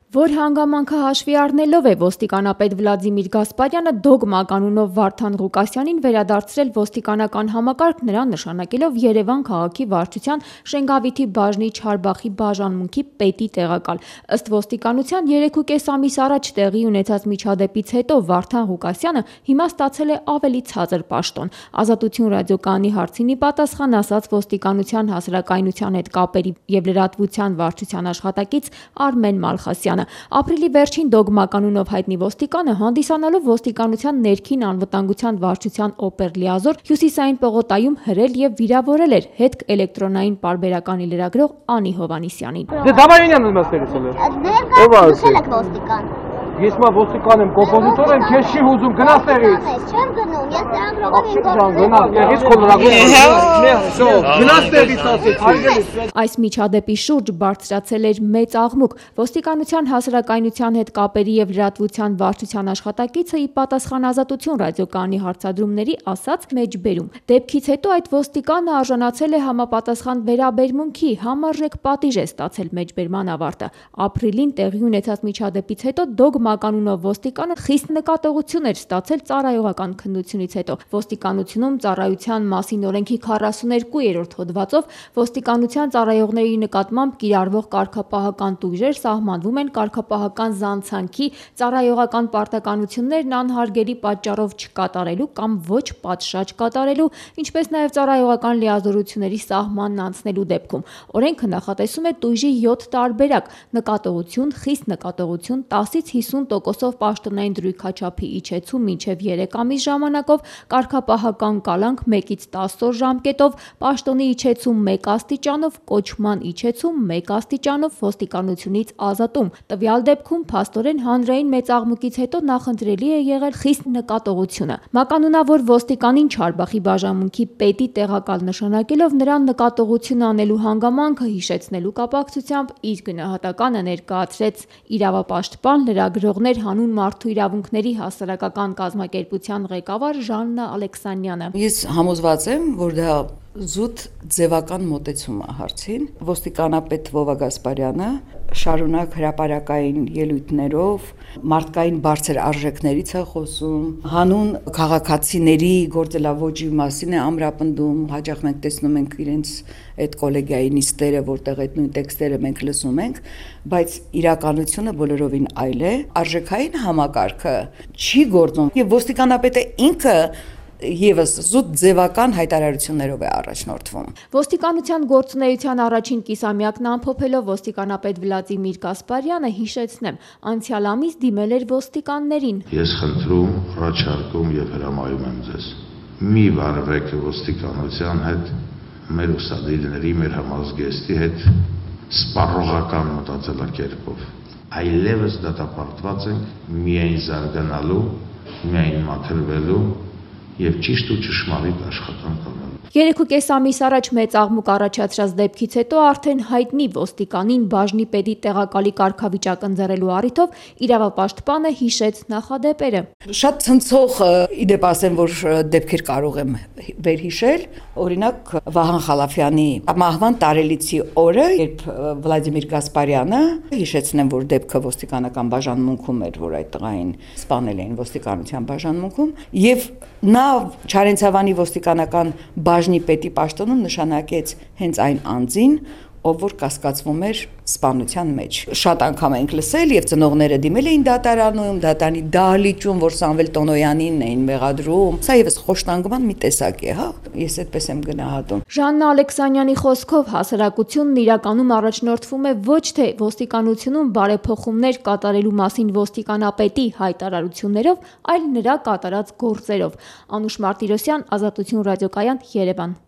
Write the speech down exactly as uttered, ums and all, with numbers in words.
Որ հանգամանքը հաշվի առնելով է ոստիկանապետ Վլադիմիր Գասպարյանը դոգմա կանունով Վարդան Ղուկասյանին վերադարձրել ոստիկանական համակարգ, նրան նշանակելով Երևան քաղաքի վարչության Շենգավիթի բաժնի Չարբախի բաժանմունքի պետի տեղակալ։ Ըստ ոստիկանության երեքուկես ամիս առաջ տեղի ունեցած միջադեպից հետո Վարդան Ղուկասյանը հիմա ստացել է ավելի ցածր պաշտոն։ Ազատություն ռադիոկայանի հարցին ի պատասխան ասաց ոստիկանության հասարակայնության հետ կապերի և լրատվության վարչության աշխատակից Արմեն Մալխասյանը։ Ապրիլի վերջին դոգմա կանունով հայտնի ոստիկանը հանդիսանալով ոստիկանության ներքին անվտանգության վարչության օպերլիազոր Հյուսիսային պողոտայում հրել և վիրավորել էր հետք էլեկտրոնային պարբերականի լրագրող Անի Հովհաննիսյանին։ Ես մա ոստիկան եմ, կոմպոզիտոր եմ, քեզ չի հուզում, գնաս տեղից։ Չեմ գնում, ես լրագրողին գնաս տեղից, քո լրագրողը։ Գնաս տեղից ասեցի։ Այս միջադեպի շուրջ բարձրացել էր մեծ աղմուկ։ Ոստիկանության հասարակայնության հետ կապերի և լրատվության վարչության աշխատակիցը ի պատասխան Ազատություն ռադիոկայանի հարցադրումների ասաց մեջբերում. Դեպքից հետո այդ ոստիկանը արժանացել է համապատասխան վերաբերմունքի, համարժեք պատիժ է ստացել մեջբերման ավարտը։ Ապրիլին տեղի ունեցած միջադեպից հետո դոգմա կանունով ոստիկանը խիստ նկատողություն էր ստացել ծառայողական քննությունից հետո։ Ոստիկանությունում ծառայության մասին օրենքի քառասուներկուերորդ հոդվածով ոստիկանության ծառայողների նկատմամբ կիրառվող կարգապահական տույժեր սահմանվում են կարգապահական զանցանքի, ծառայողական պարտականություններն անհարգելի պատճառով չկատարելու կամ ոչ պատշաճ կատարելու, ինչպես նաև ծառայողական լիազորությունների սահմանն անցնելու դեպքում։ Օրենքը նախատեսում է տույժի յոթ տարբերակ՝ նկատողություն, խիստ նկատողություն, տասից հիսուն տոկոսով պաշտոնային դրույքաչափի իջեցում մինչև երեք ամիս ժամանակով, կարգապահական կալանք մեկից տասը օր ժամկետով, պաշտոնի իջեցում մեկ աստիճանով, կոչման իջեցում մեկ աստիճանով, ոստիկանությունից ազատում։ Տվյալ դեպքում փաստորեն հանրային մեծ աղմուկից հետո նախընտրելի է եղել խիստ նկատողությունը։ Մականունավոր ոստիկանին Չարբախի բաժանմունքի պետի տեղակալ նշանակելով նրան նկատողություն անելու հանգամանքը հիշեցնելու կապակցությամբ իր գնահատականը ներկայացրեց իրավապաշտպան, լրագրողներ հանուն մարդու իրավունքների հասարակական կազմակերպության ղեկավար Ժաննա Ալեքսանյանը։ Ես համոզված եմ, որ դա զուտ ձևական մոտեցում է հարցին։ Ոստիկանապետ Վովա Գասպարյանը շարունակ հրապարակային ելույթներով մարդկային բարձր արժեքներից է խոսում, հանուն քաղաքացիների գործելավոճի մասին է ամրապնդում, հաճախ մենք տեսնում ենք իրենց այդ կոլեգիայի նիստերը, որտեղ այդ նույն տեքստերը մենք լսում ենք, բայց իրականությունը բոլորովին այլ է, արժեքային համակարգը չի գործում եւ ոստիկանապետը ինքը Եվս զուտ ձևական հայտարարություններով է առաջնորդվում։ Ոստիկանության գործունեության առաջին կիսամյակն ամփոփելով ոստիկանապետ Վլադիմիր Գասպարյանը հիշեցնեմ, անցյալ ամիս դիմել էր ոստիկաններին։ Ես խնդրում, առաջարկում եւ հրամայում եմ ձեզ. մի վարվեք ոստիկանության հետ, մեր ուսանողների, մեր համազգեստի հետ սպառողական մտածելակերպով։ Այլևս դատապարտված ենք միայն զարգանալու, միայն մաքրվելու և ճիշտ ու ճշմարիտ աշխատանք անելու։ Երեքուկես ամիս առաջ մեծ աղմուկ առաջացրած դեպքից հետո արդեն հայտնի ոստիկանին բաժնի պետի տեղակալի կարգավիճակ ընձեռելու առիթով իրավապաշտպանը հիշեց նախադեպերը։ Շատ ցնցող իդեպ ասեմ, որ դեպքեր կարող եմ վերհիշել, օրինակ Վահան Խալափյանի մահվան տարելիցի օրը, երբ Վլադիմիր Գասպարյանը, հիշեցնեմ, որ դեպքը ոստիկանական բաժանմունքում էր, որ այդ տղային սպանել էին ոստիկանության բաժանմունքում, եւ նա Չարենցավանի ոստիկանական բաժնի պետի պաշտոնում նշանակեց հենց այն անձին, ով որ կասկածվում էր սպանության մեջ։ Շատ անգամ ենք լսել եւ ծնողները դիմել էին դատարանում, դատարանի դահլիճում, որ Սամվել Տոնոյանին էին մեղադրում։ Սա եւս խոշտանգման մի տեսակ է, հա։ Ես այդպես եմ գնահատում։ Ժաննա Ալեքսանյանի խոսքով հասարակությունն իրականում առաջնորդվում է ոչ թե ոստիկանությունում բարեփոխումներ կատարելու մասին ոստիկանապետի հայտարարություններով, այլ նրա կատարած գործերով։ Անուշ Մարտիրոսյան, Ազատություն ռադիոկայան, Երևան։